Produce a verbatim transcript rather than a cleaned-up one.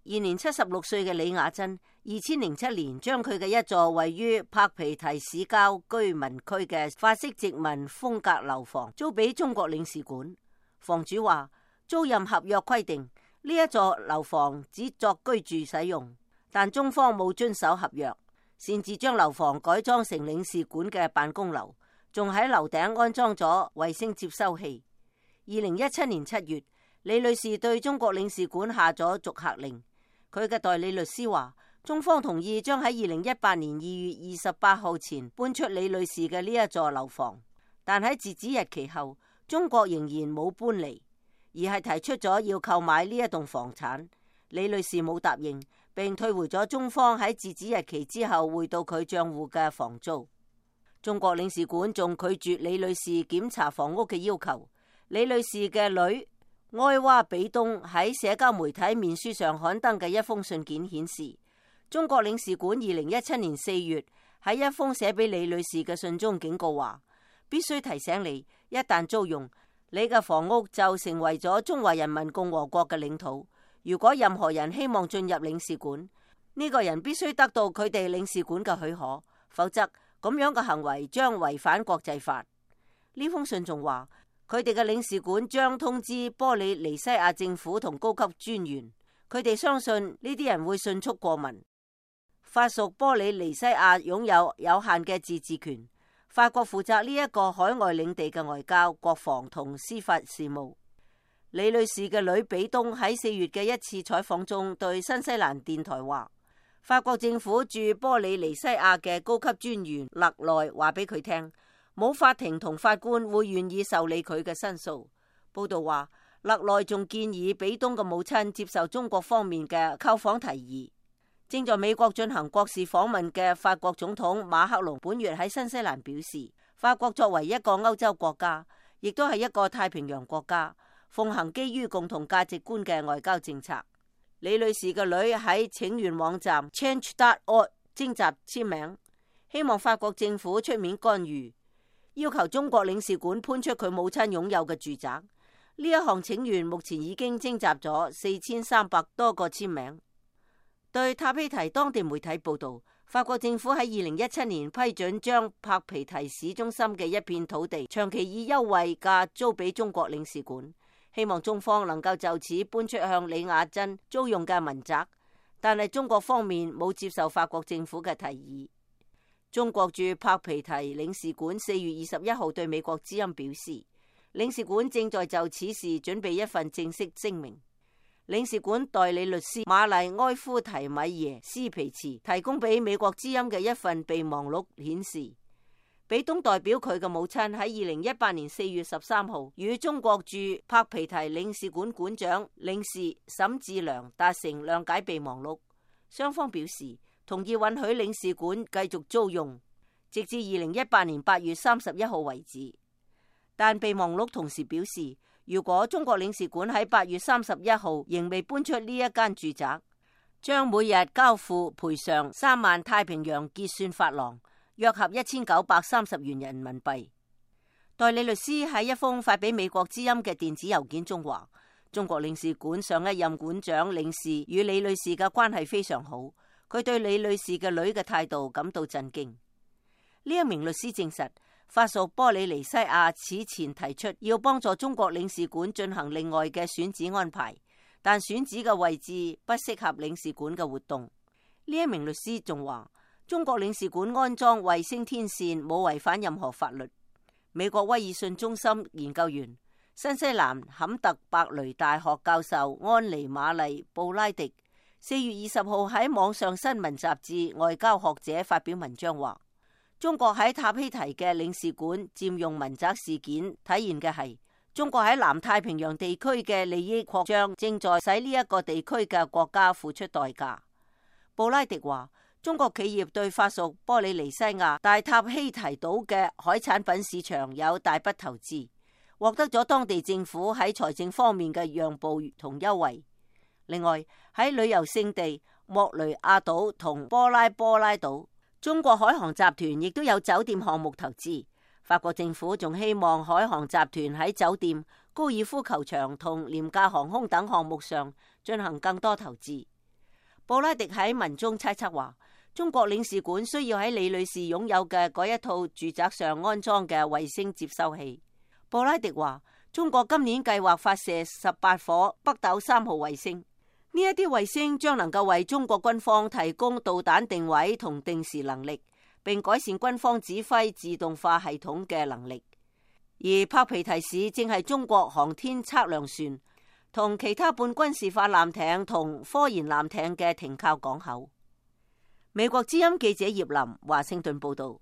現年七十六歲嘅李雅珍，二千零七年將佢嘅一座位於柏皮提市郊居民區嘅法式殖民風格樓房租俾中國領事館。房主話，租賃合約規定呢一座樓房只作居住使用，但中方冇遵守合約，擅自將樓房改裝成領事館嘅辦公樓，仲喺樓頂安裝咗衛星接收器。二零一七年七月，李女士對中國領事館下咗逐客令。佢嘅代理律師話，中方同意將喺二零一八年二月二十八號前搬出李女士嘅呢一座樓房，但喺截止日期後，中國仍然冇搬離，而係提出咗要購買呢一棟房產。李女士冇答應，並退回咗中方喺截止日期之後匯到佢賬戶嘅房租。中國領事館仲拒絕李女士檢查房屋嘅要求。李女士嘅女埃娃比東喺社交媒體面書上刊登嘅一封信件顯示，中國領事館二零一七年四月喺一封寫俾李女士嘅信中警告話，必須提醒你，一旦租用，你嘅房屋就成為咗中華人民共和國嘅領土。如果任何人希望進入領事館，呢個人必須得到佢哋領事館嘅許可，否則咁樣嘅行為將違反國際法。呢封信仲話，佢哋嘅領事館將通知波里尼西亞政府同高級專員，佢哋相信呢啲人會迅速過問。法屬波里尼西亞擁有有限嘅自治權，法國負責呢一個海外領地嘅外交、國防同司法事務。李女士嘅女比東喺四月嘅一次採訪中對新西蘭電台話，法國政府駐波里尼西亞嘅高級專員勒內話俾佢聽，冇法庭同法官會願意受理佢嘅申訴。報道話，勒內仲建議比東嘅母親接受中國方面嘅購訪提議。正在美國進行國事訪問嘅法國總統馬克龍本月喺新西蘭表示，法國作為一個歐洲國家，亦都係一個太平洋國家，奉行基於共同價值觀嘅外交政策。李女士嘅女喺請願網站 change dot org 徵集簽名，希望法國政府出面干預，要求中國領事館搬出佢母親擁有嘅住宅。呢一項請願目前已經徵集咗四千三百多個簽名。對塔皮提當地媒體報道，法國政府喺二零一七年批准將柏皮提市中心嘅一片土地長期以優惠價租俾中國領事館，希望中方能夠就此搬出向李雅珍租用嘅民宅，但係中國方面冇接受法國政府嘅提議。中國駐柏皮提領事館四月二十一號對美國之音表示，領事館正在就此事準備一份正式聲明。領事館代理律師瑪麗埃夫提米耶斯皮茨提供俾美國之音嘅一份備忘錄顯示，比東代表佢嘅母親喺二零一八年四月十三號與中國駐柏皮提領事館館長領事沈志良達成諒解備忘錄，雙方表示同意允許領事館繼續租用，直至二零一八年八月三十一號為止。但備忘錄同時表示，如果中國領事館喺八月三十一號仍未搬出呢一間住宅，將每日交付賠償三萬太平洋結算法郎，約合一千九百三十元人民幣。代理律師喺一封發俾美國之音嘅電子郵件中話，中國領事館上一任館長領事與李女士嘅關係非常好，佢對李女士嘅女嘅態度感到震驚。呢一名律師證實，法屬波里尼西亞此前提出要幫助中國領事館進行另外嘅選址安排，但選址嘅位置不適合領事館嘅活動。呢一名律師仲話，中國領事館安裝衛星天線冇違反任何法律。美國威爾遜中心研究員、新西蘭坎特伯雷大學教授安妮瑪麗布拉迪四月二十號喺網上新聞雜誌《外交學者》發表文章話，中國喺塔希提嘅領事館佔用民宅事件體現嘅係中國喺南太平洋地區嘅利益擴張正在使呢一個地區嘅國家付出代價。布拉迪話，中國企業對法屬波里尼西亞大塔希提島嘅海產品市場有大筆投資，獲得咗當地政府喺財政方面嘅讓步同優惠。另外喺旅遊勝地莫雷亞島同波拉波拉島，中國海航集團亦都有酒店項目投資。法國政府仲希望海航集團喺酒店、高爾夫球場同廉價航空等項目上進行更多投資。布拉迪喺文中猜測話，中國領事館需要喺李女士擁有嘅嗰一套住宅上安裝嘅衛星接收器。布拉迪話，中國今年計劃發射十八顆北斗三號衛星，呢一啲衛星將能夠為中國軍方提供導彈定位同定時能力，並改善軍方指揮自動化系統嘅能力。而帕皮提市正係中國航天測量船同其他半軍事化艦艇同科研艦艇嘅停靠港口。美國之音記者葉林華盛頓報道。